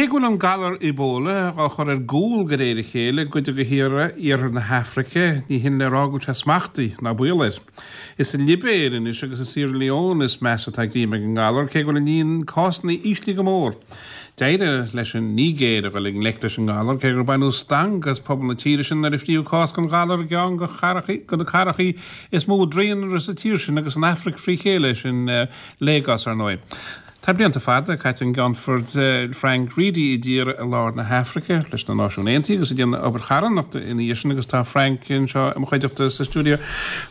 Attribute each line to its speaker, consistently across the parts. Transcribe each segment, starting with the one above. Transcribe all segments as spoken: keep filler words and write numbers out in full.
Speaker 1: Cé go bhfuil an galar Ebola á chur ar gcúl de réir a chéile i gcuid de thíortha iarthar na hAfraice, ní hin le rá go bhfuil sé smachtaithe ná baol air. Is sa Libéir anois agus i Sierra Leone is measa atá greim ag an ngalar, cé go bhfuil an líon cásanna íslithe go mór. D'éirigh leis an Nigéir a dhul i ngleic leis an ngalar, cé gur baineadh stangadh as pobal na tíre sin nuair a fríodh cás den ghalar i gceann de na cathracha is mó daonra sa tír sin agus san Afraic frí chéile, sin Lagos ar ndóigh. Tá blianta fada caite ag an gCeannfort Frank Reidy i dtíortha i lár na hAfraice leis na Náisiúin Aontaithe agus ag déanamh obair charthanachta ina dhiaidh sin agus tá Frank anseo i mo chuideachta sa stiúideo.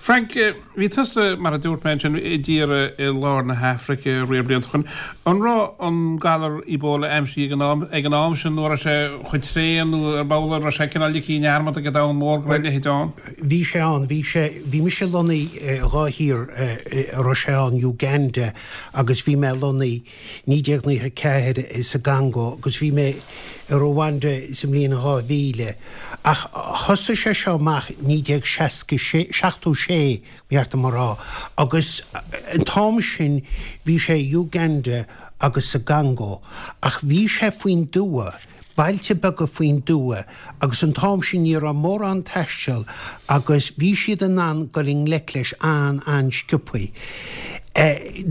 Speaker 1: Frank, bhí tusa, mar a dúirt mé ansin, i dtíortha i lár na hAfraice riar blianta ó shin. An raibh an galar Ebola aimsithe ag an am, ag an am sin nó an raibh sé chomh tréan nó ar ball an raibh sé cineál ligthe i ndearmad ag an domhan mór go raibh a leithéid ann?
Speaker 2: Bhí sé ann, bhí sé, bhí mise lonnaithe i dhá thír a raibh sé ann, Uganda agus bhí mé lonnaithe naoi déag nócha ceathair sa gCongó agus bhí mé i Rwanda sa mbliain dhá mhíle. Ach thosaigh sé seo amach naoi déag seasca sé, seachtó sé, ba cheart dom a rá, agus an t-am sin bhí sé i Uganda agus sa gCongó ach bhí sé faoin dtuath. bailte beaga faoin dtuath agus an t-am sin ní raibh mórán taisteal agus bhí siad in ann dul i ngleic leis an-an-sciobthaí.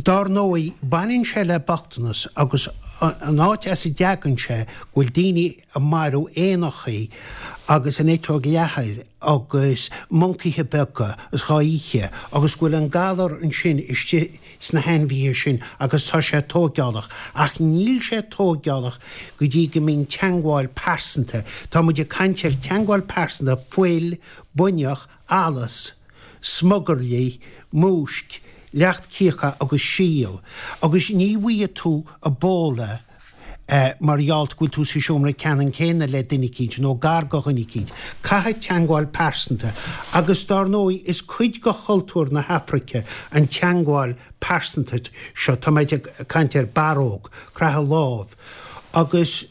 Speaker 2: Dár ndóigh, baineann sé le bochtanas agus an áit as a dtagann sé go bhfuil daoine ag marú éanachaí agus an eiteog leathair agus moncaithe beaga is dhá ithe agus go bhfuil an galar ansin istigh sna hainmhithe sin agus tá sé tóigeálach ach níl sé tóigeálach go dtí go mbíonn teangmháil pearsanta, tá muid ag caint ar teangmháil pearsanta, fuil, buinneach, allas, smugairlí, múisc, leacht cíocha agus síol agus ní bhfaighidh tú Ebola mar gheall go bhfuil tú sa seomra ceannann céanna le duine eicínt nó gar do dhuine eicínt. Caithfidh teangmháil pearsanta agus dár ndóigh is cuid de chultúr na hAfraice an teangmháil pearsanta seo, tá muid ag caint ar barróg, croitheadh lámh agus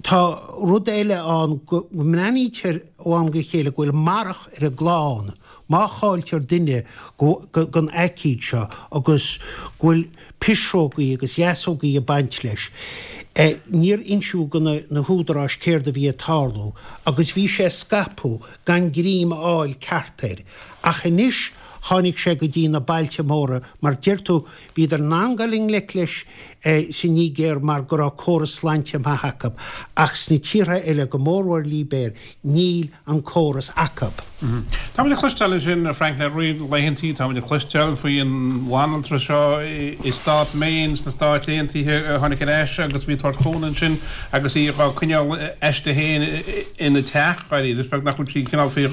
Speaker 2: tá rud eile ann go mbreathnaítear ó am go chéile go bhfuil marach ar an gclann má chailltear duine den aicíd seo agus go bhfuil pisreogaí agus deasógaí ag baint leis. Níor insíodh do na húdaráis céard a bhí ag tarlú agus bhí sé ag scaipeadh gan greim a fháil ceart air. Ach anois tháinig sé go dtí na bailte móra, mar deir tú, bhíodar in ann dul i ngleic leis sa Nigéir mar go raibh córas sláinte maith acu, ach sna tíortha eile, go mórmhór Libéir, níl an córas acu.
Speaker 1: Táimid ag cloisteáil ansin, Frank, le roinnt laethantaí, táimid ag cloisteáil faoin bhanaltra seo i stát Maine sna Stáit Aontaithe a tháinig ar ais agus bhí ag tabhairt cúnamh ansin agus í á coinneáil aisti féin ina teach, dáiríre, is beag nach bhfuil sí cineál faoi,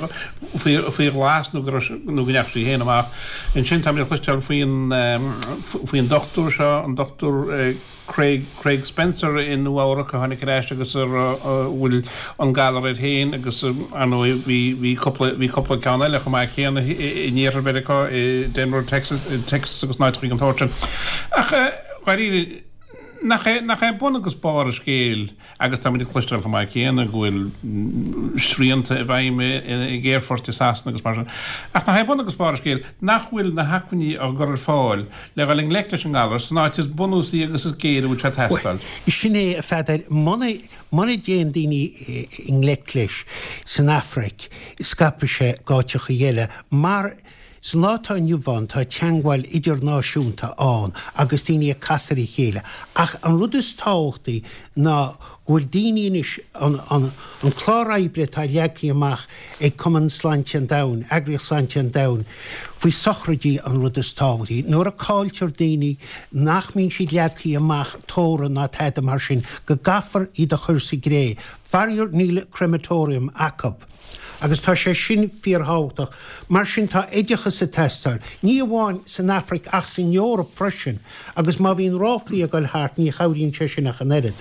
Speaker 1: faoi, faoi ghlas nó go raibh, nó go ndeachaigh sí féin amach. Ansin táimid ag cloisteáil faoin, faoin dochtúir seo, an Dochtúir Craig, Craig Spencer i Nua Eabhrac a tháinig ar ais agus a bhfuil an galar air féin agus ar ndóigh bhí, bhí cúpla, bhí cúpla ceann eile chomh maith céanna in iarthar Mheiriceá, i Denver, Texas, Texas agus in áiteacha den tsórt sin. Ach dháiríre, nach é, nach é bun agus barr an scéil Agus táimid ag cloisteáil chomh maith céanna go bhfuil srianta i bhfeidhm ag aerfoirt i Sasana agus mar sin. Ach nach é bun agus barr an scéil nach bhfuil na hacmhainní á gcur ar fáil le dhul i ngleic leis an ngalar san áit is bunúsaí agus is géire a bhfuil sé ag teastáil?
Speaker 2: Sin é, a Pheadair. Muna, muna dtéann daoine i ngleic leis san Afraic, scaipfidh sé go áiteacha eile mar Sa lá atá inniu ann tá teangmháil idirnáisiúnta ann agus daoine ag casadh ar a chéile ach an rud is tábhachtaí ná go bhfuil daoine anois, an, an, an clár oibre atá leagtha amach ag Cumann Sláinte an Domhain, Eagraíocht Sláinte an Domhain, faoi sochraidí an rud is tábhachtaí. Nuair a cailltear daoine nach mbíonn siad leagtha amach tórramh ná tada mar sin, go gcaithfear iad a chur sa gcré. Faraor níl crematorium acu. Agus tá sé sin fíorthábhachtach. Mar sin tá oideachas ag teastáil, ní amháin san Afraic ach san Eoraip freisin, agus má bhíonn ráflaí ag dul thart ní chabhraíonn sé sin ach an oiread.